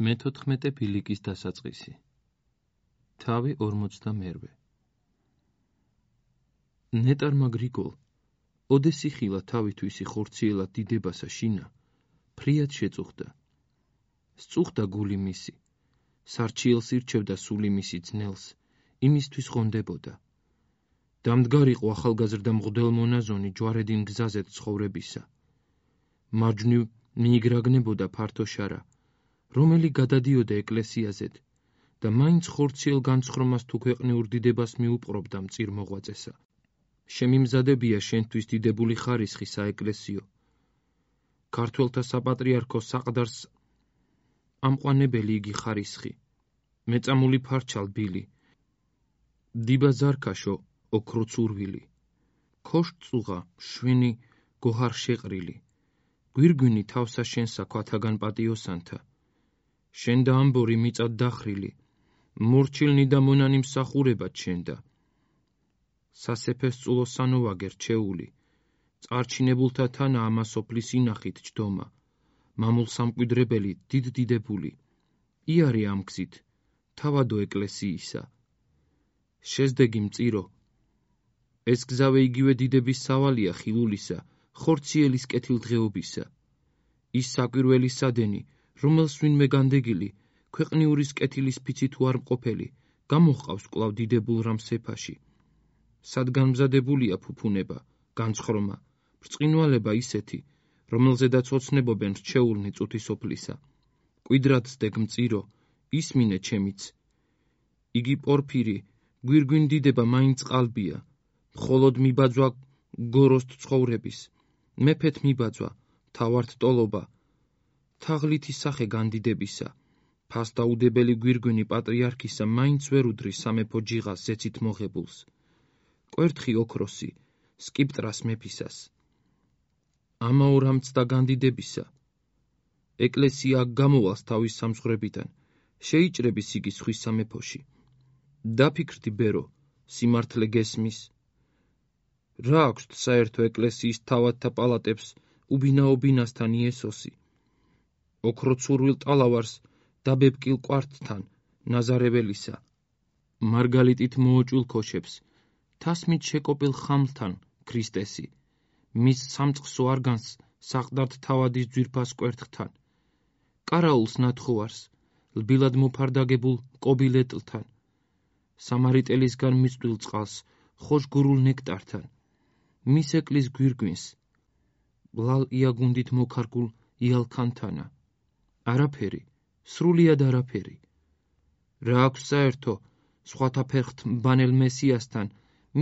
მე-14 ბილიკის დასაწყისი. თავი 42. ნეტარმა გრიგოლ, ოდესი ხილა თავითვისი ხორციელად დიდებასა შინა, ფრიად შეწუხდა. სწუხდა გული მისი, სარჩიელს ირჩევდა სული მისი ძნელს, იმისთვის ღონდებოდა. დამდგარიყო ახალგაზრდა მღვდელმონაზონი ჯვარედინ გზაზეთ ცხოვრებისა. მარჯვნივ მიიგრაგნებოდა ფართო შარა, რომელი გადადიოდა ეკლესიაზეთ და მაინც ხორციელ განცხრომას თუ ქვეყნიურ დიდებას მიუპყრობდა მწիր მოღვაწესა. შემიმზადებია შენთვის დიდებული ხარისხი საეკლესიო. ქართველთა საპატრიარქო საყდარს ამყვანებელი იგი ხარისხი, მეწამული ფარჩალ ბილი, დილა ზარქაშო ოქროც ურვილი, ქოშ წუღა შვენი გოჰარ შეყრილი, გვირგვინი თავსა შენსა ქვათაგან პატიოსანთა, შენ და ამბორი მიწად დახრილი, მორჩილნი და მონანი მსახურებად შენდა. სასეფეს წულო სანოვაგერ ჩეული, წარჩინებულთა თანა ამა სოფლის ინახით ჯდომა, მამულ სამკვიდრებელი დიდ დიდებული, იარე ამ გზით, თავადო ეკლესიისა. შეზდეგი მწირო, ეს გზავე იგივე დიდების სავალია ხილულისა, ხორციელის კეთილდღეობისა. ის საკვირველი სადენი, რომელს ვინმე განდეგილი, ქვეყნიურის კეთილის ფიცი თუ არ მყოფელი, გამოჰყავს კვლავ დიდებულ რამ სეფაში. სადგანმზადებულია ფუფუნება, განცხრომა, ბრწყინვალება ისეთი, რომელზედაც ოცნებობენ რჩეულნი წუთი სოფლისა. კვიდრად ზდეგ მწირო, ისმინე ჩემიც. იგი პორფირი, გვირგვინ დიდება მაინც ყალბია, მხოლოდ მიბაძვა გოროსთ ცხოვრების, მეფეთ მიბაძვა, თავართ ტოლობა, თაღლითი სახე განდიდებისა, ფასდაუდებელი გვირგვინი პატრიარქისა მაინც ვერ უდრის სამეფო ჯიღას ზეცით მოღებულს. კვერთხი ოქროსი, სკიპტრას მეფისას. ამაორამც და განდიდებისა. ეკლესია გამოვალს თავის სამსღვრებიდან, შეიჭრების იგი სხვის სამეფოში. დაფიქრდი ბერო, სიმართლე გესმის. რა აქვს საერთო ეკლესიის თავადთა პალატებს უბინაობინასთან იესოსი. ოქროცურვილ ტალავარს დაბებკილ კვართთან, ნაზარეველისა. მარგალიტით მოოჭვილ ქოშებს, თასმით შეკოპილ ხამლთან, ქრისტესი. მის სამწყსო არგანს საყდართ თავადის ძვირფას კვერთხთან. კარაულს ნათხოვარს, ლბილად მოფარდაგებულ კობილეტლთან. სამარიტელისგან მიწვდილ წყალს, ხოშგურულ ნექტართან. მის ეკლის გვირგვინს, ლალ იაგუნდით მოქარგულ იალქანთანა. არაფერი, სრულიად არაფერი. რა აქვს საერთო სხვათა ფერხთ მბანელ მესიასთან,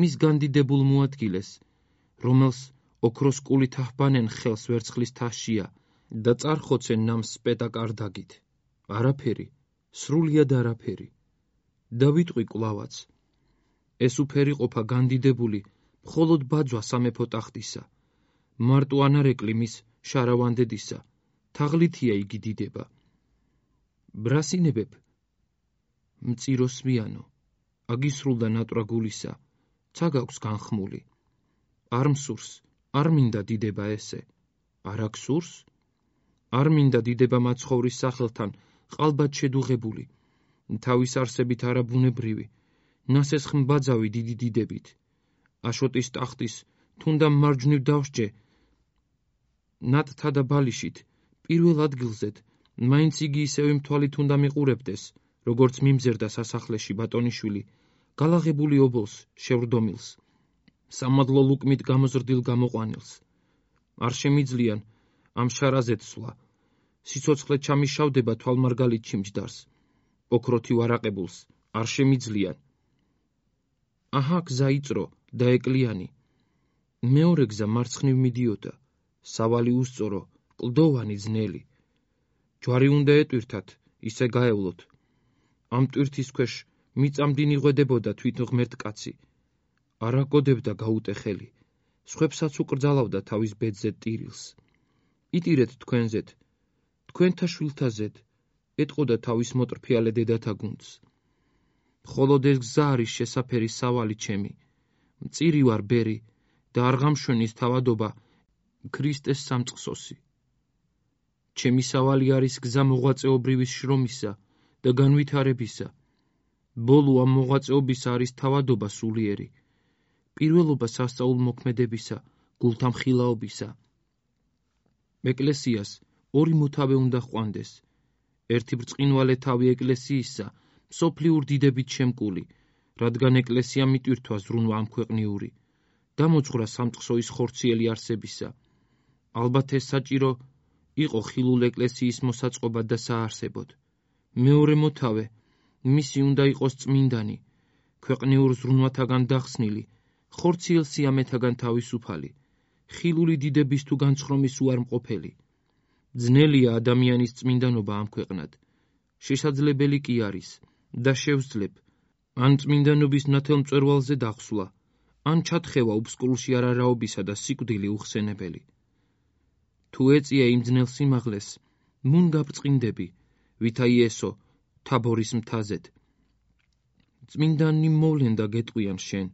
მის განდიდებულ მოადგილეს, რომელს ოქროს კულით აჰბანენ ხელს ვერცხლის თაშია და წარხოცენ ნამს სპეტაკ არდაგით. არაფერი, სრულიად არაფერი. და ვიტყვი კვლავაც. ეს უფერი ყოფა განდიდებული მხოლოდ ბაძვა სამეფო ტახტისა, მარტო ანარეკლი მის შარავანდედისა, თაღლითია იგი დიდება. ბრასინებებ, მწიროსვიანო, აგისრულდა ნატრა გულისა, ცა გაქვს განხმული. არ მსურს, არ მინდა დიდება ესე. არ აქსურს? არ მინდა დიდება მაცხოვრის სახელთან ყალბად შედუღებული, თავის არსებით არაბუნებრივი, ნასეს ხმბაძავი დიდი დიდებით. აშოტის ტახტის თუნდა მარჯვნივ დავსჯე ნატთა და ბალიშით, პირველ ადგილზეთ, მაინც იგი ისევ მთვალით უნდა მიყურებდეს, როგორც მიმზერდა სასახლეში ბატონიშვილი, გალაღებული ობოლს, შევრდომილს, სამადლო ლუკმით გამოზრდილ გამოყვანილს. არ შემიძლიან ამ შარაზეთ სვლა, სიცოცხლე ჩამიშავდება თვალმარგალით ჩიმჯდარს, ოქროთი ვარაყებულს, არ შემიძლიან. აჰა გზა იწრო და ეკლიანი. მეორე გზა მარცხნივ მიდიოდა, სავალი უსწორო, კლდოვანი ძნელი. ჯვარი უნდა ეტვირთათ, ისე გაევლოთ. ამ ტვირთის ქვეშ მიწამდინ იღვედებოდა თვით ღმერთ კაცი. არ აგოდებდა გაუტეხელი, სხვებსაც უკრძალავდა თავის ბედზე ტირილს. იტირეთ თქვენზეთ, თქვენთა შვილთაზეთ, ეტყოდა თავის მოტრფიალე დედათა გუნდს. მხოლოდ ეს გზა არის შესაფერი სავალი ჩემი, მწირი ვარ ბერი და არ გამშვენის თავადობა ქრისტეს სამწყსოსი. ჩემი სავალი არის გზა მოღვაწეობრივის შრომისა და განვითარებისა. ბოლო ამ მოღვაწეობისა არის თავადობა სულიერი, პირველობა სასწაულმოქმედებისა, გულთამხილაობისა. ეკლესიას ორი მოთავე უნდა ჰყვანდეს. ერთი ბრწყინვალე თავი ეკლესიისა, მსოფლიურ დიდებით შემკული, რადგან ეკლესია მიტვირთვა ზრუნვა ამ ქვეყნიური, დამოძღვრა სამწყსოის ხორციელი არსებისა. ალბათ ეს საჭირო იყო ხილულ ეკლესიის მოსაწყობად და საარსებოდ. მეორე მოთავე, მისი უნდა იყოს წმინდანი, ქვეყნიურ ზრუნვათაგან დახსნილი, ხორციელ სიამეთაგან თავისუფალი, ხილული დიდების თუ განცხრომის უარმყოფელი. ძნელია ადამიანის წმინდანობა ამ ქვეყნად. შესაძლებელი კი არის და შევძლებ ან წმინდანობის ნათელმწვერვალზე დახსვლა, ან ჩათხევა უბსკრულში არარაობისა და სიკვდილი უხსენებელი. თუ ეწია იმ ძნელ სიმაღლეს, მუნ გაბრწყინდები, ვითა იესო თაბორის მთაზედ. წმინდანი მოვლენ და გეტყვიან შენ,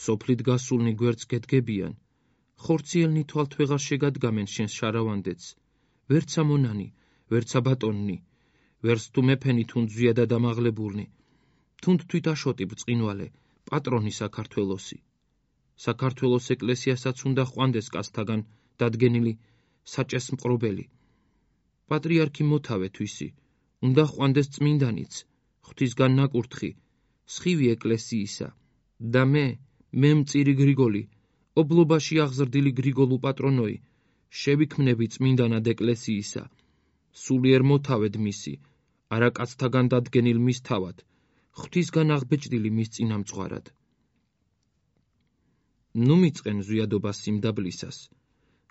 სოფლით გასულნი გვერდს გედგებიან, ხორციელნი თვალთ ვეღარ შეგადგამენ შენს შარავანდეთს, ვერცა მონანი, ვერცა ბატონნი, ვერც თუ მეფენი თუნდ ზვიადა დამაღლებულნი, თუნდ თვით აშოტი ბრწყინვალე, პატრონი საქართველოსი. საქართველოს ეკლესიასაც უნდა ჰყვანდეს კაცთაგან დადგენილი საჭესმყრობელი. პატრიარქი მოთავე თვისი, უნდა ჰყვანდეს წმინდანიც, ღვთისგან ნაკურთხი, სხივი ეკლესიისა და მე მწირი გრიგოლი, ობლობაში აღზრდილი გრიგოლუ პატრონოი, შევიქმნები წმინდანად ეკლესიისა, სულიერ მოთავედ მისი, არა კაცთაგან დადგენილ მის თავად, ღვთისგან აღბეჭდილი მის წინამძღვარად. ნუ მიწყენ ზვიადობა სიმდაბლისას,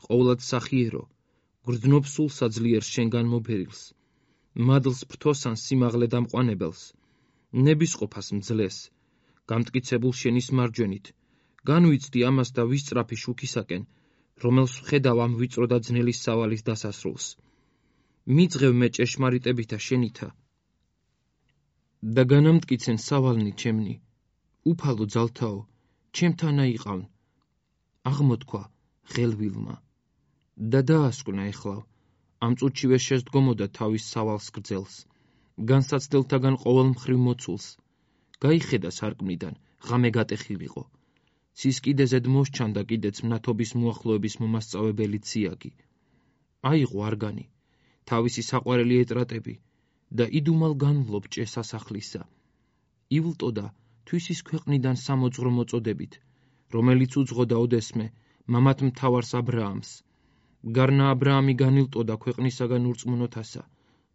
ყოვლად სახიერო, გრძნობ სულსა ძლიერ შენგან მობერილს, მადლს ფრთოსან სიმაღლე დამყვანებელს, ნებისყოფას მძლეს, გამტკიცებულ შენის მარჯვენით, განვიცდი ამას და ვისწრაფი შუქისაკენ, რომელს ვხედავ ამ ვიწრო და ძნელი სავალის დასასრულს. მიძღევ მე ჭეშმარიტებითა შენითა და განამტკიცენ სავალნი ჩემნი, უფალო ძალთაო, ჩემთანა იყავ, აღმოთქვა ღელვილმა და დაასკვნა ეხლავ, ამ წუთშივე შესდგომოდა თავის სავალს გრძელს, განსაცდელთაგან ყოველ მხრივ მოცულს, გაიხედა სარკმლიდან, ღამე გატეხილიყო, ცის კიდეზედ მოსჩანდა კიდეც მნათობის მოახლოების მომასწავებელი ციაგი. აიღო არგანი, თავისი საყვარელი ეტრატები და იდუმალ განვლობ ჭე სასახლისა. ივლტოდა თვისის ქვეყნიდან სამოძღვრო მოწოდებით, რომელიც უძღოდა ოდესმე მამათ მთავარს აბრაამს. გარნა აბრაამი განილტოდა ქვეყნისაგან ურწმუნოთასა,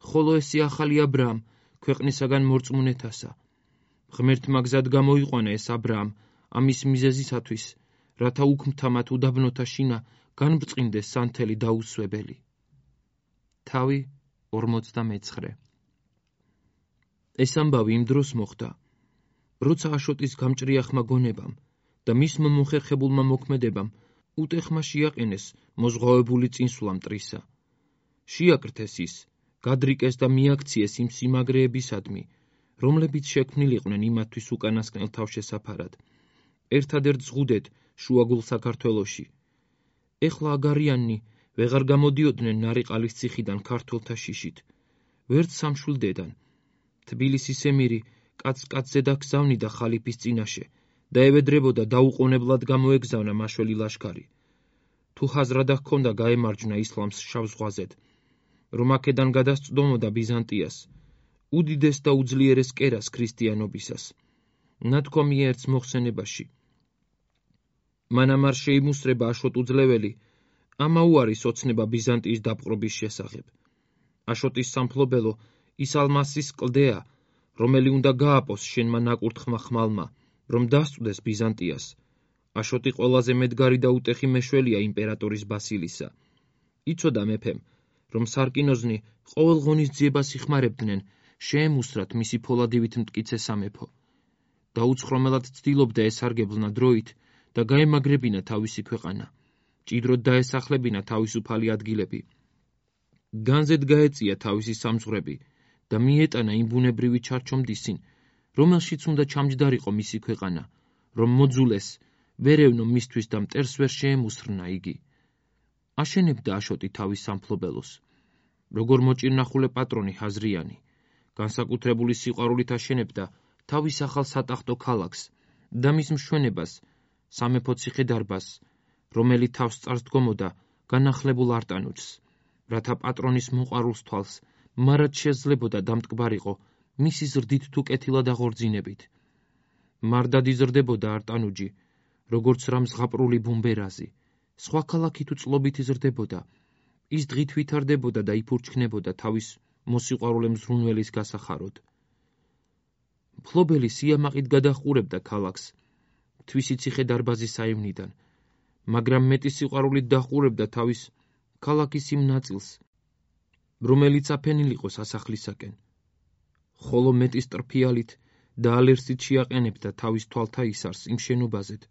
ხოლო ესე ახალი აბრაამ ქვეყნისაგან მორწმუნეთასა. ღმერთმა გზად გამოიყვანა ეს აბრაამ ამის მიზეზისათვის, რათა უქმთამათ უდაბნოთა შინა განბრწყინდეს სანთელი დაუსვებელი. თავი 49. ეს ამბავი იმ დროს მოხდა, როცა აშოტის გამჭრიახმა გონებამ და მისმა მოხერხებულმა მოქმედებამ უტეხმა შეაყენეს მოზღვავებული წინსვლა მტრისა. შეაკრთეს ის, გადრიკეს და მიაქციეს იმ სიმაგრეებისადმი, რომლებიც შექმნილიყვნენ იმათთვის უკანასკნელ თავშესაფარად, ერთადერთ ზღუდეთ შუაგულ საქართველოში. ეხლა აგარიანნი ვეღარ გამოდიოდნენ ნარიყალის ციხიდან ქართველთა შიშით, ვერც სამშვილდედან. თბილისის ემირი კაც-კაცზე დაგზავნიდა ხალიფის წინაშე და ევედრებოდა დაუყოვნებლად გამოეგზავნა მაშველი ლაშქარი. თუ ჰაზრადა ჰქონდა გაემარჯვნა ისლამს შავ ზღვაზედ, რომ აქედან გადასწდომოდა ბიზანტიას, უდიდეს და უძლიერეს კერას ქრისტიანობისას. ნათქვამია ერთს მოხსენებაში. მანამ არ შეიმუსრება აშოტ უძლეველი, ამა უარის ოცნება ბიზანტიის დაპყრობის შესახებ. აშოტის სამფლობელო ის ალმასის კლდეა, რომელი უნდა გააპოს შენმა ნაკურთხმა ხმალმა, რომ დასწვდეს ბიზანტიას. აშოტი ყველაზე მედგარი და უტეხი მეშველია იმპერატორის ბასილისა. იცოდა მეფემ, რომ სარკინოზნი ყოველ ღონისძიებას იხმარებდნენ შეემუსრათ მისი ფოლადივით მტკიცე სამეფო. დაუცხრომელად ცდილობდა ესარგებლნა დროით და გაემაგრებინა თავისი ქვეყანა, ჭიდროდ დაესახლებინა თავისუფალი ადგილები. განზედ გაეწია თავისი სამძღვრები და მიეტანა იმ ბუნებრივი ჩარჩომდისინ, რომელშიც უნდა ჩამჯდარიყო მისი ქვეყანა, რომ მოძულეს, ვერევნო მისთვის და მტერს ვერ შეემუსრნა იგი. აშენებდა აშოტი თავის სამფლობელოს, როგორ მოჭირნახულე პატრონი ჰაზრიანი, განსაკუთრებული სიყვარულით აშენებდა თავის ახალ სატახტო ქალაქს და მის მშვენებას, სამეფო ციხე-დარბაზს, რომელიც თავს წარს დგომოდა განახლებულ არტანუჯს, რათა პატრონის მოყვარულს თვალს მარად შეძლებოდა დამტკბარიყო მისი ზრდით თუ კეთილად აღორძინებით. მარტად იზრდებოდა არტანუჯი, როგორც რამ ზღაპრული ბუმბერაზი, სხვა ქალაქი თუ წლობით იზრდებოდა, ის დღით ვითარდებოდა და იფურჩქნებოდა თავის მოსიყვარულე მზრუნველის გასახაროდ. მფლობელი სიამაყით გადაჰყურებდა ქალაქს, თვისი ციხე-დარბაზის საივნიდან, მაგრამ მეტი სიყვარულით დაჰყურებდა თავის ქალაქის იმ ნაწილს, რომელიც აფენილ იყო სასახლისაკენ, ხოლო მეტი სტრფიალით და ალერსით შეაყენებდა თავის თვალთა ისარს იმ შენობაზეთ,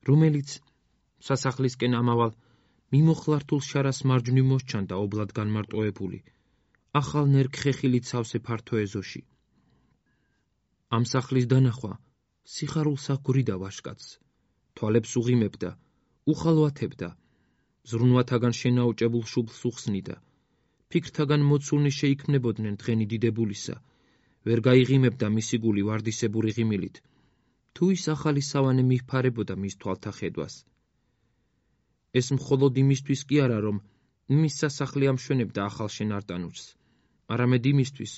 რომელიც სასახლისკენ ამავალ მიმოხლართულ შარას მარჯვნივ მოსჩანდა ობლად განმარტოებული, ახალ ნერქხეხილით სავსე ფართო ეზოში. ამ სახლის დანახვა სიხარულს აგვრიდა ვაშკაცს, თვალებს უღიმებდა, უხალვათებდა, ზრუნვათაგან შენაუჭებულ შუბლს უხსნიდა, ფიქრთაგან მოცულნი შეიქმნებოდნენ დღენი დიდებულისა, ვერ გაიღიმებდა მისი გული ვარდისებური ღიმილით, თუ ის ახალი სავანე მიჰფარებოდა მის თვალთა ხედვას. ეს მხოლოდ იმისთვის კი არა, რომ მის სასახლე ამშვენებდა ახალშენ არტანუჯს, არამედ იმისთვის,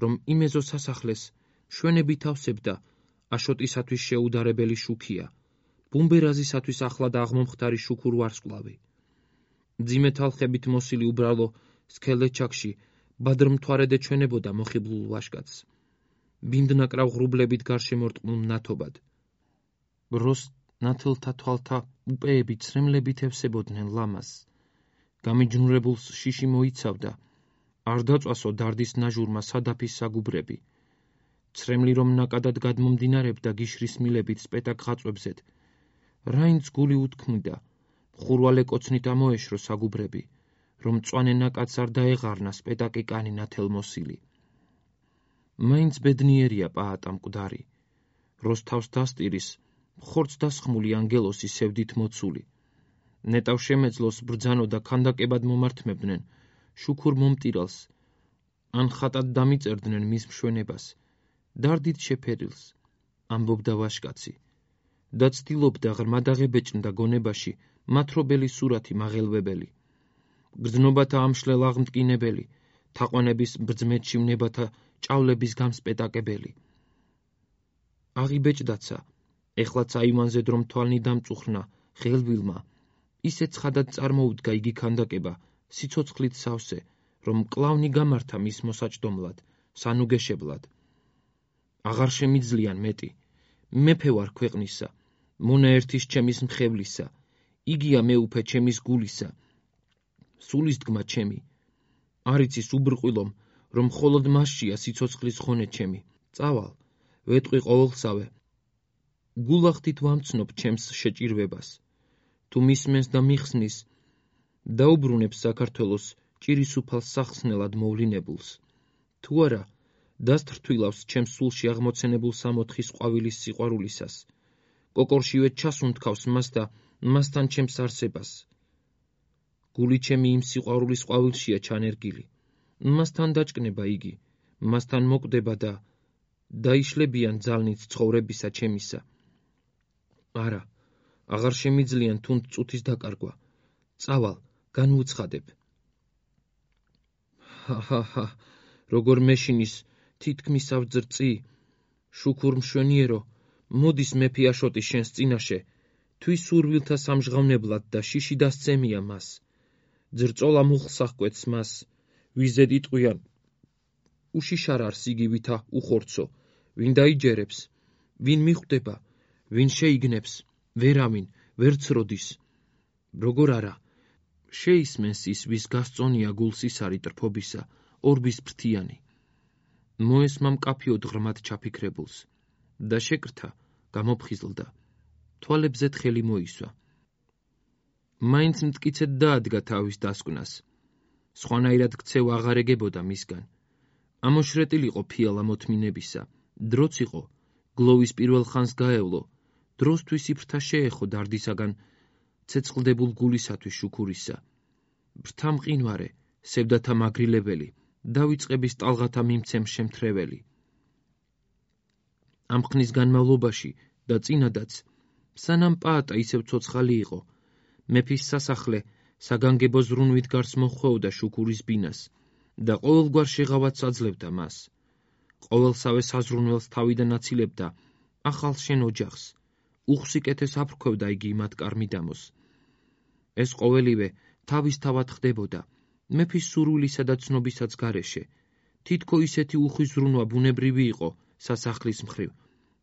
რომ იმ ეზო სასახლეს მშვენებით ავსებდა აშოტისათვის შეუდარებელი შუქია, ბუმბერაზისათვის ახლად აღმომხდარი შუქურ ვარსკვლავი. მძიმე თალხებით მოსილი უბრალო სქელეჩაკში ბადრმთვარე ეჩვენებოდა მოხიბლულ ვაშკაცს, ბინდნაკრავ ღრუბლებით გარშემორტყმულ მნათობად. როს ნათელთა თვალთა უპეები ცრემლებით ევსებოდნენ ლამაზს, გამიჯნურებულს შიში მოიცავდა, არ დაწვასო დარდის ნაჟურმა სადაფის საგუბრები, ცრემლი რომ ნაკადად გადმომდინარებდა გიშრის მილებით სპეტაკ ღაწვებზეთ, რაინც გული უთქმიდა, მხურვალე კოცნით ამოეშრო საგუბრები, რომ მწვანე ნაკადს არ დაეღარნა სპეტაკი კანი ნათელმოსილი. მაინც ბედნიერია პაატა მკვდარი, როს თავს დასტირის, ხორცს დასხმული ანგელოსი სევდით მოცული. ნეტავ შემეძლოს ბრძანო და ქანდაკებად მომართმებდნენ შუქურ მომტირალს, ან ხატად დამიწერდნენ მის მშვენებას, დარდით შეფერილს, ამბობდა ვაშკაცი, და ცდილობდა ღრმად აღებეჭნდა გონებაში მათრობელი სურათი მაღელვებელი, გრძნობათა ამშლელ აღმტკინებელი, თაყვანების ბრძმეთში ვნებათა ჭავლების გამსპეტაკებელი. აღიბეჭდაცა, ეხლაც აივანზე დრო მთვალნი დამწუხრნა ხელვილმა, ისე ცხადად წარმოუდგა იგი ქანდაკება სიცოცხლით სავსე, რომ კლავნი გამართა მის მოსაჭდომლად, სანუგეშებლად. აღარ შემიძლიან მეტი, მეფე ვარ ქვეყნისა, მონა ერთის ჩემის მხევლისა, იგია მეუფე ჩემის გულისა, სულის დგმა ჩემი, არ იცის უბრყვილომ, რომ მხოლოდ მასშია სიცოცხლის ხონე ჩემი. წავალ, ვეტყვი ყოველსავე, გულახდით ვამცნობ ჩემს შეჭირვებას, თუ მისმენს და მიხსნის, დაუბრუნებს საქართველოს ჭირისუფალს სახსნელად მოვლინებულს, თუ არა, დასთრთვილავს ჩემს სულში აღმოცენებულ სამოთხის ყვავილის სიყვარულისას, კოკორშივე ჩასუნთქავს მას და მასთან ჩემს არსებას. გული ჩემი იმ სიყვარულის ყვავილშია ჩანერგილი, მასთან დაჭკნება იგი, მასთან მოკვდება და დაიშლებიან ძალნით ცხოვრებისა ჩემისა. არა, აღარ შემიძლიან თუნდ წუთის დაკარგვა. წავალ, განვუცხადებ. ჰა, როგორ მეშინის თითქმის ავძრწი, შუქურ მშვენიერო, მოდის მეფე აშოტი შენს წინაშე, თვის სურვილთა სამჟღავნებლად და შიში დასცემია მას. ძრწოლა მუხლს აღკვეთს მას, ვიზედ იტყვიან, უშიშარარს იგი ვითა უხორცო, ვინ დაიჯერებს, ვინ მიხვდება, ვინ შეიგნებს, ვერავინ, ვერც როდის. როგორ არა, შეისმენს ის, ვის გასწონია გულსისარი ტრფობისა, ორბის ფრთიანი. მოესმა მკაფიოდ ღრმად ჩაფიქრებულს და შეკრთა, გამოფხიზლდა, თვალებზეთ ხელი მოისვა. მაინც მტკიცედ დაადგა თავის დასკვნას, სხვანაირად ქცევა აღარ ეგებოდა მისგან. ამოშრეტილიყო ფიალა მოთმინებისა, დროც იყო, გლოვის პირველ ხანს გაევლო, დროსთვის იფრთა შეეხო დარდისაგან ცეცხლდებულ გულისათვის შუქურისა. ბრთა მყინვარე, სევდათა მაგრილებელი, დავიწყების ტალღათა მიმცემ შემთრეველი. ამ ხნის განმავლობაში და წინადაც, სანამ პაატა ისევ ცოცხალი იყო, მეფის სასახლე საგანგებო ზრუნვით გარს მოხვეოდა შუქურის ბინას და ყოველგვარ შეღავათს აძლევდა მას. ყოველსავე საზრუნველს თავიდან აცილებდა ახალ შენ ოჯახს, უხსიკეთეს აფრქვევდა იგი მათ კარმიდამოს. ეს ყოველივე თავისთავად ხდებოდა მეფის სურვილისა და ცნობისაც გარეშე, თითქო ისეთი უხვი-ზრუნვა ბუნებრივი იყო სასახლის მხრივ,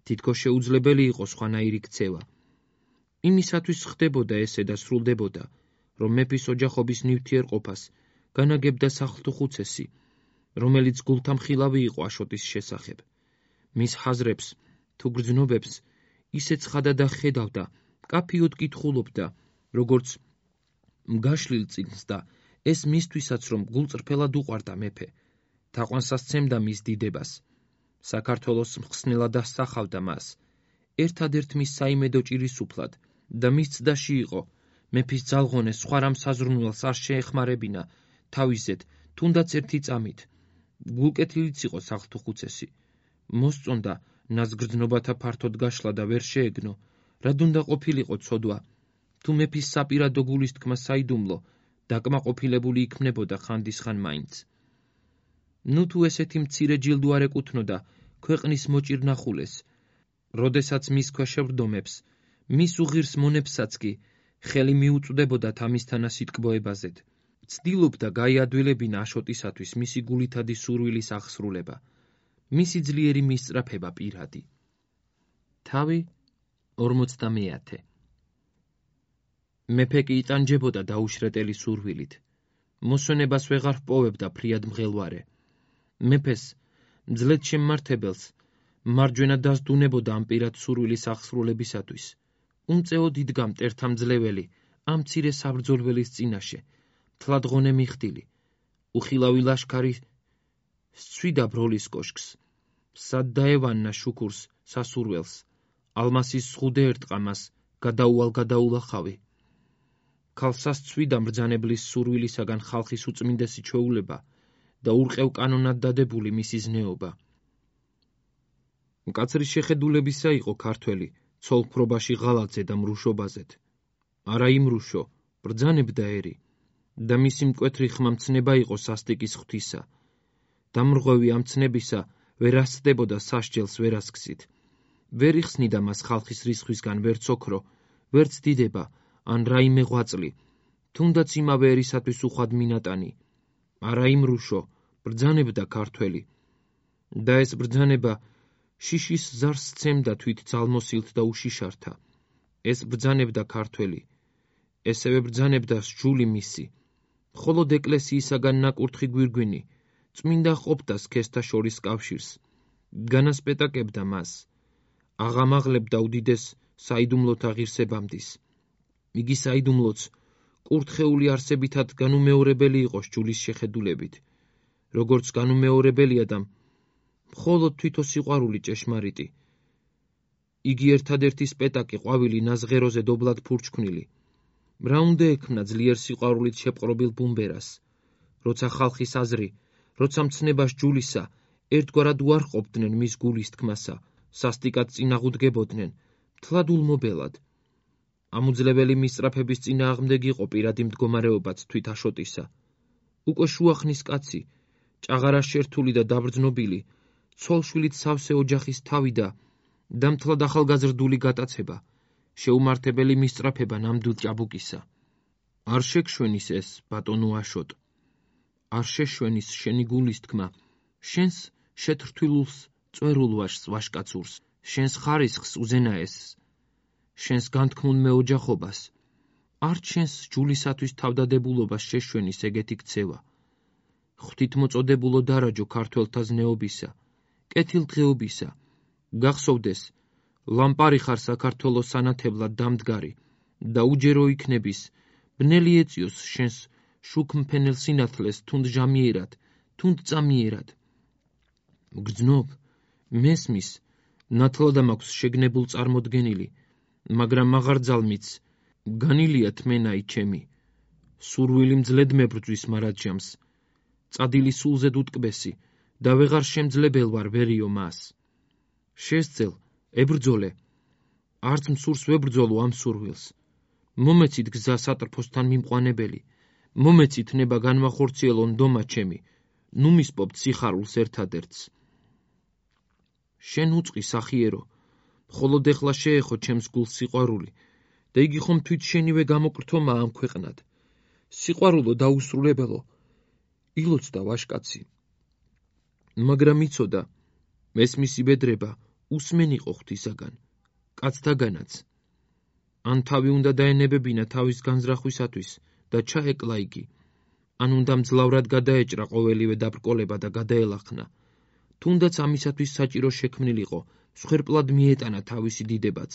თითქო შეუძლებელი იყო სხვანაირი ქცევა. იმისათვის ხდებოდა ესე და სრულდებოდა, რომ მეფის ოჯახობის ნივთიერყოფას განაგებდა სახლთუხუცესი, რომელიც გულთამხილავი იყო აშოტის შესახებ. მის ხაზრებს თუ გრძნობებს ისე ცხადად ხედავდა, კაფიოდ კითხულობდა, როგორც მგაშლილ წინს და ეს მისთვისაც, რომ გულწრფელად უყვარდა მეფე, თაყვანსა სცემდა მის დიდებას. საქართველოს მხსნელად ასახავდა მას, ერთადერთ მის საიმედო ჭირისუფლად და მის ცდაში იყო, მეფის ძალღონეს სხვა რამ საზრუნველს არ შეეხმარებინა თავისზედ, თუნდაც ერთი წამით. გულკეთილიც იყო სახლთუხუცესი, მოსწონდა ნაზგრძნობათა ფართოდ გაშლა და ვერ შეეგნო, რად უნდა ყოფილიყო ცოდვა, თუ მეფის საპირადო გულისთქმა საიდუმლო, დაკმაყოფილებული იქმნებოდა ხანდისხან მაინც. ნუ თუ ესეთი მცირე ჯილდო არ ეკუთვნოდა ქვეყნის მოჭირნახულეს, როდესაც მის ქვეშ შევრდომებს, მის უღირს მონებსაც კი ხელი მიუწვდებოდათ ამისთანა სიტკბოებაზედ. ცდილობდა გაიადვილებინა აშოტისათვის მისი გულითადი სურვილის აღსრულება, მისი ძლიერი მისწრაფება პირადი. თავი 50. მეფე კი იტანჯებოდა დაუშრეტელი სურვილით. მოსვენებას ვეღარ ჰპოვებდა ფრიად მღელვარე. მეფეს, მძლედ შემმართებელს, მარჯვენა დასდუნებოდა ამ პირად სურვილის აღსრულებისათვის. უმწეოდ იდგა მტერთა მძლეველი ამ მცირე საბრძოლველის წინაშე, თლადღონე მიხდილი. უხილავი ლაშქარი სცვიდა ბროლის კოშკს. სად დაევანნა შუქურს, სასურველს, ალმასის ზღუდე ერტყა მას, გადაულახავი. ქალსა სცვიდა მბრძანებლის სურვილისაგან ხალხის უწმინდესი ჩვეულება და ურყევ კანონად დადებული მისი ზნეობა. მკაცრი შეხედულებისა იყო ქართველი, ცოლ-ფრობაში ღალატზე და მრუშობაზეთ. არა იმრუშო, ბრძანებდა ერი, და მისი მკვეთრი ხმა მცნება იყო სასტიკის ღვთისა. დამრღვევი ამ ცნებისა ვერ ასწდებოდა სასჯელს ვერასქსით. ვერ იხსნიდა მას ხალხის რისხვისგან ვერც ოქრო, ვერც დიდება, ან რაიმე ღვაწლი, თუნდაც იმავე ერისათვის უხვად მინატანი. არა იმრუშო, ბრძანებდა ქართველი. და ეს ბრძანება შიშის ზარს სცემდა თვით ძალმოსილთ და უშიშართა. ეს ბრძანებდა ქართველი. ესევე ბრძანებდა სჯული მისი. მხოლოდ ეკლესიისაგან ნაკურთხი გვირგვინი წმინდა ყოფდა სქესთა შორის კავშირს. განასპეტაკებდა მას. აღამაღლებდა უდიდეს საიდუმლოთა ღირსებამდის. იგი საიდუმლოც კურთხეული არსებითად განუმეორებელი იყო სჯულის შეხედულებით, როგორც განუმეორებელია და მხოლოდ თვითო სიყვარული ჭეშმარიტი. იგი ერთადერთი სპეტაკი ყვავილი ნაზღეროზე დობლად ფურჩქვნილი. რა უნდა ექმნა ძლიერ სიყვარულით შეპყრობილ ბუმბერას, როცა ხალხის აზრი, როცა მცნება სჯულისა, ერთგვარად უარყოფდნენ მის გულის თქმასა, სასტიკად წინაღუდგებოდნენ, მთლად ულმობელად. ამუძლებელი მისწრაფების წინააღმდეგ იყო პირადი მდგომარეობაც თვით აშოტისა. უკვე შუახნის კაცი, ჭაღარა შერთული და დაბრძნობილი, ცოლშვილით სავსე ოჯახის თავი და მთლად ახალგაზრდული გატაცება, შეუმართებელი მისწრაფება ნამდვილ ჭაბუკისა. არ შეგშვენის ეს, ბატონო აშოტ, არ შეშვენის შენი გულის თქმა, შენს შეთრთვილულს წვერულ ვაშს ვაშკაცურს, შენს ხარისხს უზენაესს, შენს განთქმულ მეოჯახობას, არ შენს ჯულისათვის თავდადებულობას შეშვენის ეგეთი ქცევა. ღვთით მოწოდებულო დარაჯო ქართველთა ზნეობისა, კეთილდღეობისა, გახსოვდეს, ლამპარი ხარ საქართველოს სანათებლად დამდგარი და უჯერო იქნების, ბნელი ეწიოს შენს შუქმფენელ სინათლეს თუნდ ჟამიერად, თუნდ წამიერად. გრძნობ, მესმის, ნათლად მაქვს შეგნებულ წარმოდგენილი, მაგრამ მაღარძალმიც, განილია თმენაი ჩემი, სურვილი მძლედ მებრძვის მარადჟამს, წადილი სულზედ უტკბესი და ვეღარ შემძლebel ვარ ვერიო მას. შესძელ, ებრძოლე, არც მსურს ვებრძოლო ამ სურვილს. მომეცით გზა სატრფოსთან მიმყვანებელი, მომეცით ნება განვახორციელონ დომა ჩემი, ნუ მისპობთ სიხარულს ერთადერთს. შენ უწყი სახიერო, მხოლოდ ეხლა შეეხო ჩემს გულს სიყვარული და იგი ხომ თვით შენივე გამოკრთომა ამ ქვეყნად. სიყვარულო დაუსრულებელო, ილოცდა ვაშკაცი. მაგრამ იცოდა, მესმისი ბედრება უსმენ იყო ღვთისაგან, კაცთაგანაც. ან თავი უნდა დაენებებინა თავის განზრახვისათვის და ჩაეკლა იგი, ან უნდა მძლავრად გადაეჭრა ყოველივე დაბრკოლება და გადაელახნა. თუნდაც ამისათვის საჭირო შექმნილიყო, მსხვერპლად მიეტანა თავისი დიდებაც.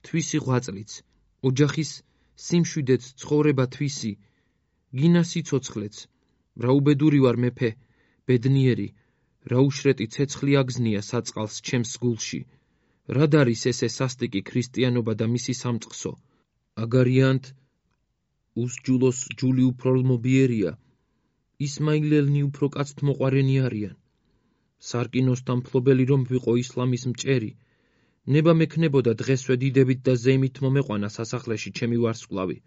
თვისი ღვაწლიც, ოჯახის სიმშვიდეც ცხოვრება თვისი, გინა სიცოცხლეც, რა უბედური ვარ მეფე, ბედნიერი, რა უშრეტი ცეცხლი აგზნია საწყალს ჩემს გულში. რად არის ესე სასტიკი ქრისტიანობა და მისი სამწყსო? აგარიანთ უსჯულოს ჯული უფრო ლმობიერია, ისმაილელნი უფრო კაცთმოყვარენი არიან. სარკინოსთან მფლობელი რომ ვიყო ისლამის მჭერი, ნება მექნებოდა დღესვე დიდებით და ზეიმით მომეყვანა სასახლეში ჩემი ვარსკვლავი.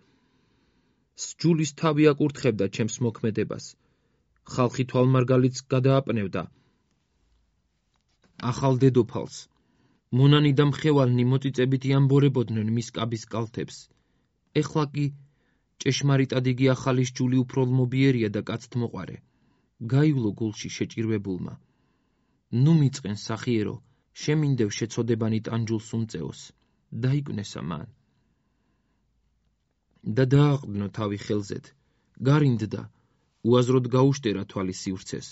სჯულის თავი აკურთხებდა ჩემს მოქმედებას, ხალხი თვალმარგალიც გადააპნევდა ახალ დედოფალს. მონანი და მხევალნი მოწიწებით იამბორებოდნენ მის კაბის კალთებს. ეხლა კი ჭეშმარიტად იგი ახალი სჯული უფრო ლმობიერია და კაცთმოყვარე. გაივლო გულში შეჭირვებულმა. ნუ მიწყენ სახიერო, შემინდევ შეცოდებანი ტანჯულს უმწეოს, დაიკვნესა მან. და დააყრდნო თავი ხელზედ, გარინდდა, უაზროდ გაუშტერა თვალი სივრცეს.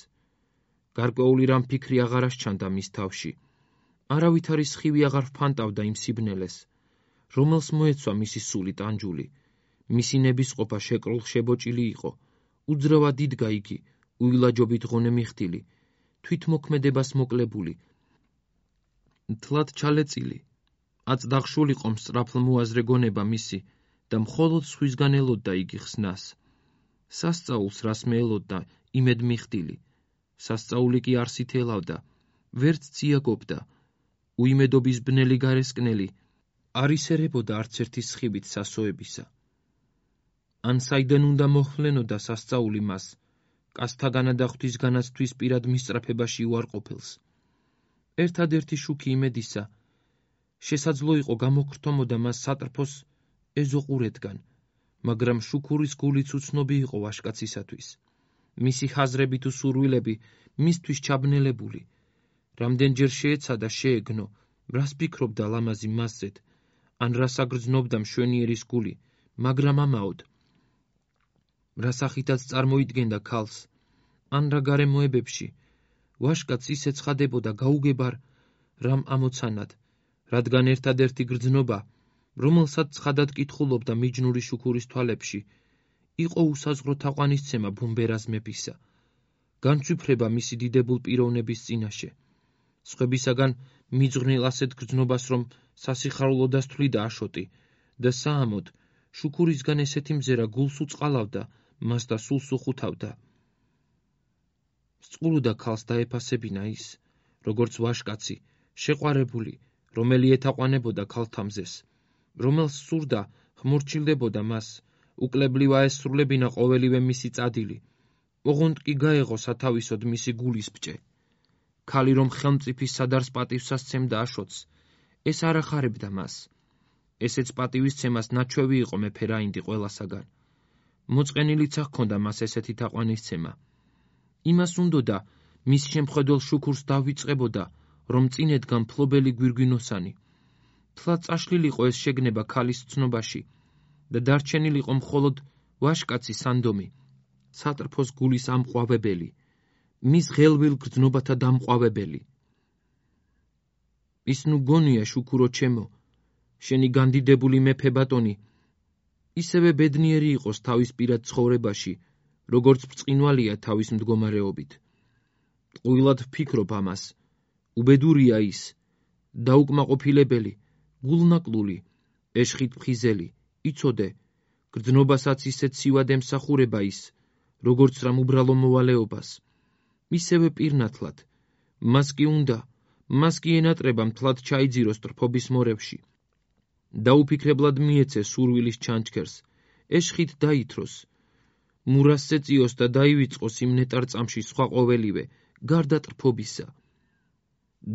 გარკვეული რამ ფიქრი აღარ ასჩანდა მის თავში. არავითარი სხივი აღარ ფანტავდა იმ სიბნელეს, რომელს მოეცვა მისი სული ტანჯული. მისი ნებისყოფა შეკრულ შებოჭილი იყო, უძრავად იდგა იგი, უილაჯობით ღონე მიხდილი, თვითმოქმედებას მოკლებული. თლად ჩალეწილი, აწდაღშულიყო მსწრაფლმოაზრე გონება მისი და მხოლოდ სხვისგან ელოდდა იგი ხსნას. სასწაულს რას მეელოდდა იმედ მიხდილი, სასწაული კი არსით ელავდა, ვერც ციაგობდა, უიმედობის ბნელი გარესკნელი, არ ისერებოდა არც ერთი სხივით სასოებისა. ან საიდან უნდა მოხვლენოდა სასწაული მას, კაცთაგანა და ღვთისგანაც თვისპირად მისწრაფებაში უარყოფილს. ერთადერთი შუქი იმედისა, შესაძლო იყო გამოგრთომოდა მას სატრფოს ეზოყურეთგან, მაგრამ შუქურის გულიც უცნობი იყო ვაშკაცისათვის. მისი ხაზრები თუ სურვილები მისთვის ჩაბნელებული. რამდენჯერ შეეცადა შეეგნო, რას ფიქრობდა ლამაზი მასზედ, ან რას აგრძნობდა მშვენიერის გული, მაგრამ ამაოდ. რა სახითაც წარმოიდგენდა ქალს, ან რა გარემოებებში, ვაშკაც ისე ცხადებოდა გაუგებარ რამ ამოცანად, რადგან ერთადერთი გრძნობა, რომელსაც ცხადად კითხულობდა მიჯნური შუქურის თვალებში, იყო უსაზღრო თაყვანისცემა ბუმბერას მეფისა, განცვიფრება მისი დიდებულ პიროვნების წინაშე. სხვებისაგან მიძღვნილ ასეთ გრძნობას, რომ სასიხარულო დასთვლიდა აშოტი და საამოდ შუქურისგან ესეთი მზერა გულს უწყალავდა, მას და სულს უხუთავდა. სწულოდა ქალს დაეფასებინა ის, როგორც ვაშკაცი, შეყვარებული, რომელი ეთაყვანებოდა ქალთამზეს, რომელს სურდა ხმორჩილდებოდა მას, უკლებლივ აესრულებინა ყოველივე მისი წადილი, ოღონდ კი გაეღო სათავისოდ მისი გულის ბჭე. ქალი რომ ხელმწიფის სადარს პატივსაცემდა აშოტს, ეს არ ახარებდა მას. ესეც პატივისცემას ნაჩვევი იყო მეფე რაინდი ყველასაგან. მოწყენილიცა ჰქონდა მას ესეთი თაყვანისცემა. იმას უნდოდა მის შემხედველ შუქურს დავიწყებოდა, რომ წინედგა მფლობელი გვირგვინოსანი. თლად წაშლილიყო ეს შეგნება ქალის ცნობაში და დარჩენილიყო მხოლოდ ვაშკაცი სანდომი, სატრფოს გულის ამყვავებელი, მის ღელვილ გრძნობათა დამყვავებელი. ის ნუ გონია შუქურო ჩემო, შენი განდიდებული მეფე ბატონი, ისევე ბედნიერი იყოს თავის პირად ცხოვრებაში, როგორც ბრწყინვალია თავის მდგომარეობით. ყვილად ვფიქრობ ამას, უბედურია ის, დაუკმაყოფილებელი, გულნაკლული, ეშხით ფხიზელი, იცოდე, გრძნობასაც ისეთ სივად ემსახურება ის, როგორც რამ უბრალო მოვალეობას. ისევე პირნათლად. მას კი ენატრება მთლად ჩაიძიროს ტრფობის მორევში. დაუფიქრებლად მიეცეს სურვილის ჩანჩქერს, ეშხით დაითროს. მურასზე წიოს და დაივიწყოს იმ ნეტარ-წამში სხვა ყოველივე, გარდა ტრფობისა.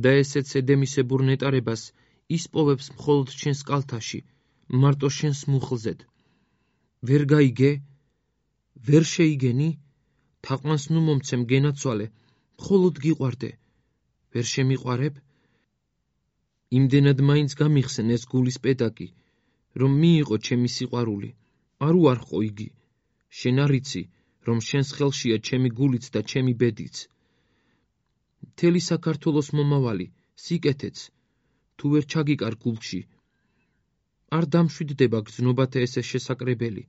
და ესეც ედემისებურ ნეტარებას ისპოვებს მხოლოდ შენს კალთაში, მარტო შენს მუხლზედ. ვერ გაიგე? ვერ შეიგენი? თაყვანს ნუ მომცემ გენაცვალე, მხოლოდ გიყვარდე. ვერ შემიყვარებ? იმდენად მაინც გამიხსენ ეს გულის პედაკი, რომ მიიღო ჩემი სიყვარული. არ უარყო იგი. შენ არ იცი, რომ შენს ხელშია ჩემი გულიც და ჩემი ბედიც. მთელი საქართველოს მომავალი, სიკეთეც, თუ ვერ ჩაგიკარ გულში. არ დამშვიდდება გრძნობათა ესე შესაკრებელი,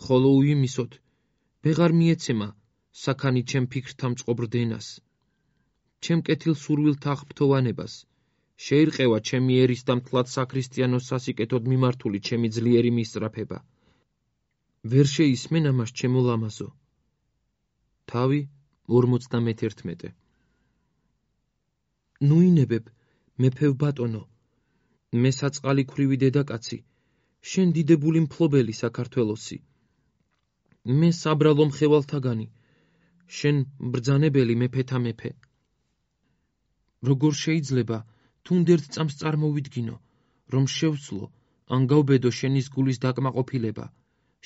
ხოლო უიმისოდ, ვეღარ მიეცემა საქანი ჩემ ფიქრთა მწყობრდენას. ჩემ კეთილ სურვილთა აღფრთოვანებას, შეირყევა ჩემი ერის და მთლად საქრისტიანოს სასიკეთოდ მიმართული ჩემი ძლიერი მისწრაფება. ვერ შეისმენ ამას ჩემო ლამაზო. თავი 51. ნუინებებ, მეფევ ბატონო, მე საწყალი ქვრივი დედაკაცი, შენ დიდებული მფლობელი საქართველოსი. მე საბრალო მხევალთაგანი, შენ ბრძანებელი მეფეთა მეფე. როგორ შეიძლება თუნდერთ წამს წარმოვიდგინო, რომ შევცლო, ან გავბედო შენის გულის დაკმაყოფილება,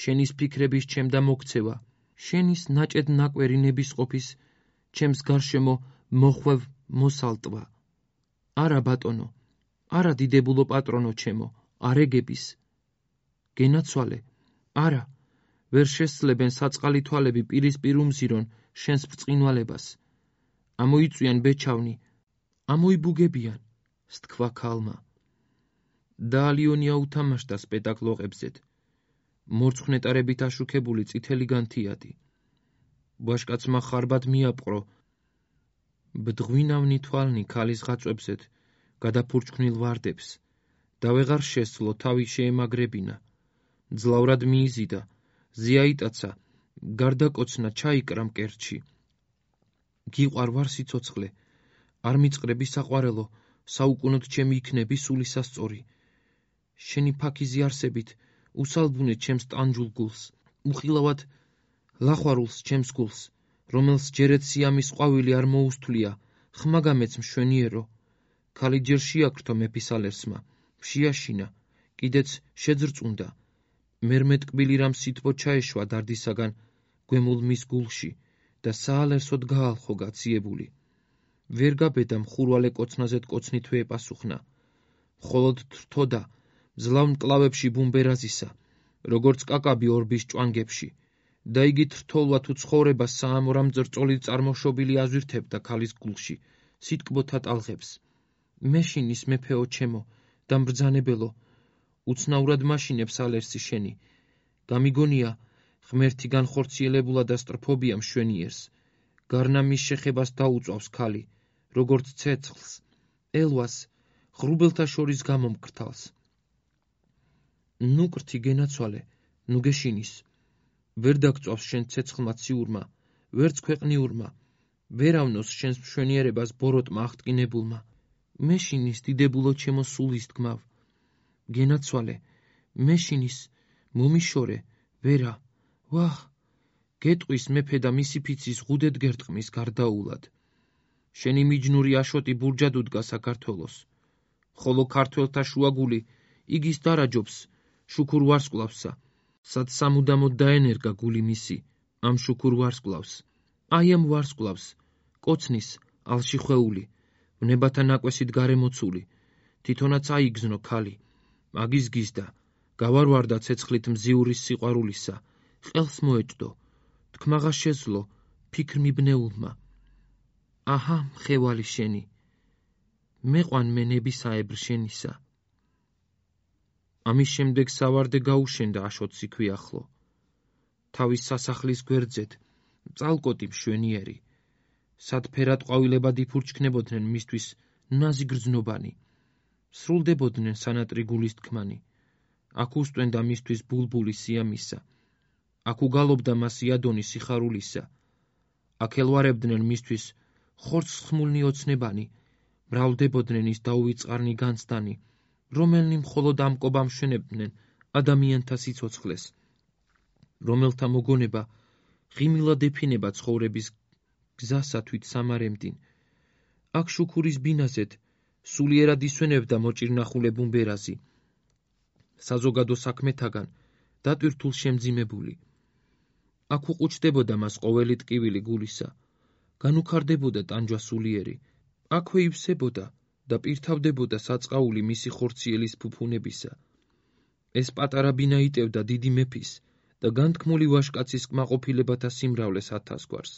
შენის ფიქრების ჩემდა მოქცევა, შენის ნაჭედ ნაკვერი ნებისყოფის, ჩემს გარშემო მოხვევ მოსალტვა. არა ბატონო, არა დიდებულო პატრონო ჩემო, არეგების. გენაცვალე, არა, ვერ შესძლებენ საწყალი თვალები პირისპირ უმზირონ შენს ბრწყინვალებას. ამოიწვიან ბეჩავნი, ამოიბუგებიან, სთქვა ქალმა. და ალიონია უთამაშდა სპეტაკლოყებზედ. მორცხნეტარებით აშუქებული წითელი განთიადი. ვაშკაცმა ხარბად მიაპყრო. ბდღვინავნი თვალნი ქალის ღაწვებზედ, გადაფურჩქნილ ვარდებს, და ვეღარ შესძლო თავი შეემაგრებინა. ძლავრად მიიზიდა, ზიაიტაცა, გარდაკოცნა ჩაიკრა მკერდში. გიყვარ ვარ სიცოცხლე, არ მიწყრები საყვარელო, საუკუნოდ ჩემი იქნები სულისასწორი. შენი ფაქიზი არსებით, უსალბუნე ჩემს ტანჯულ გულს, უხილავად ლახვარულს ჩემს გულს, რომელს ჯერეთ სიამის ყვავილი არ მოუსთვლია, ხმა გამეც მშვენიერო. ქალი ჯერ შეაკრთო მეფისალერსმა, შეაშინა, კიდეც შეძრწუნდა. მერმე ტკბილი რამ სითბო ჩაეშვა დარდისაგან გვემულ მის გულში და საალერსოდ გაალხო გაციებული. ვერ გაბედა მხურვალე კოცნაზედ კოცნით ეპასუხნა. მხოლოდ თრთოდა მძლავრ მკლავებში ბუმბერაზისა, როგორც კაკაბი ორბის ჭვანგებში, და იგი თრთოლვა თუ ცხოვრებას საამორა მწრწოლით წარმოშობილი აზვირთებდა ქალის გულში, სიტკბოთა ტალღებს. მეშინის მეფეო ჩემო და მბრძანებელო, უცნაურად მაშინებს ალერსი შენი. გამიგონია, ღმერთი განხორციელებულა და სტრფობია მშვენიერს. გარნა მის შეხებას დაუწვავს ქალი, როგორც ცეცხლს, ელვას, ღრუბელთა შორის გამომკრთალს. ნუ კრთი გენაცვალე, ნუ გეშინის. ვერ დაგწვავს შენ ცეცხლმა ციურმა, ვერც ქვეყნიურმა, ვერ ავნოს შენს მშვენიერებას ბოროტმა აღტკინებულმა. მეშინის დიდებულო ჩემო სულის თქმავ. გენაცვალე, მეშინის, მომიშორე, ვერა, ვახ, გეტყვის მეფე და მისი ფიცის ღუდედ გერტყმის გარდაულად. შენი მიჯნური აშოტი ბურჯად უდგა საქართველოს, ხოლო ქართველთა შუაგული იგის დარაჯობს შუქურ ვარსკვლავსა, სად სამუდამოდ დაენერგა გული მისი ამ შუქურ ვარსკვლავს. აი ამ ვარსკვლავს, კოცნის ალში ხვეული, ვნებათა ნაკვესით გარემოცული, თვითონაც აიგზნო ქალი, მაგის გიზდა, გავარვარდა ცეცხლით მზიურის სიყვარულისა, ყელს მოეჭდო, თქმაღა შეძლო, ფიქრ მიბნეულმა. აჰა, მხევალი შენი, მეყვან მე ნებისაებრ შენისა. ამის შემდეგ სავარდე გაუშენდა აშოტს იქვე ახლო. თავის სასახლის გვერდზედ, წალკოტი მშვენიერი, სად ფერად ყვავილებად იფურჩქნებოდნენ მისთვის ნაზი გრძნობანი, სრულდებოდნენ სანატრი გულის თქმანი, აქ უსტვენდა მისთვის ბულბული სიამისა, აქ უგალობდა მას იადონი სიხარულისა. აქ ელვარებდნენ მისთვის ხორცსხმულნი ოცნებანი, მრავლდებოდნენ ის დაუვიწყარნი განცდანი, რომელნი მხოლოდ ამ კობამ შვენებდნენ ადამიანთა სიცოცხლეს, რომელთა მოგონება ღიმილად ეფინება ცხოვრების გზასა თვით სამარემდინ. აქ შუქურის ბინაზეთ სულიერად ისვენებდა მოჭირნახულე ბუმბერაზი, საზოგადო საქმეთაგან დატვირთულ შემძიმებული. აქ უყუჩდებოდა მას ყოველი ტკივილი გულისა, განუქარდებოდა ტანჯვა სულიერი, აქვე ივსებოდა და პირთავდებოდა საწყაული მისი ხორციელის ფუფუნებისა. ეს პატარა ბინა იტევდა დიდი მეფის და განთქმული ვაჟკაცის კმაყოფილებათა სიმრავლეს ათასგვარს.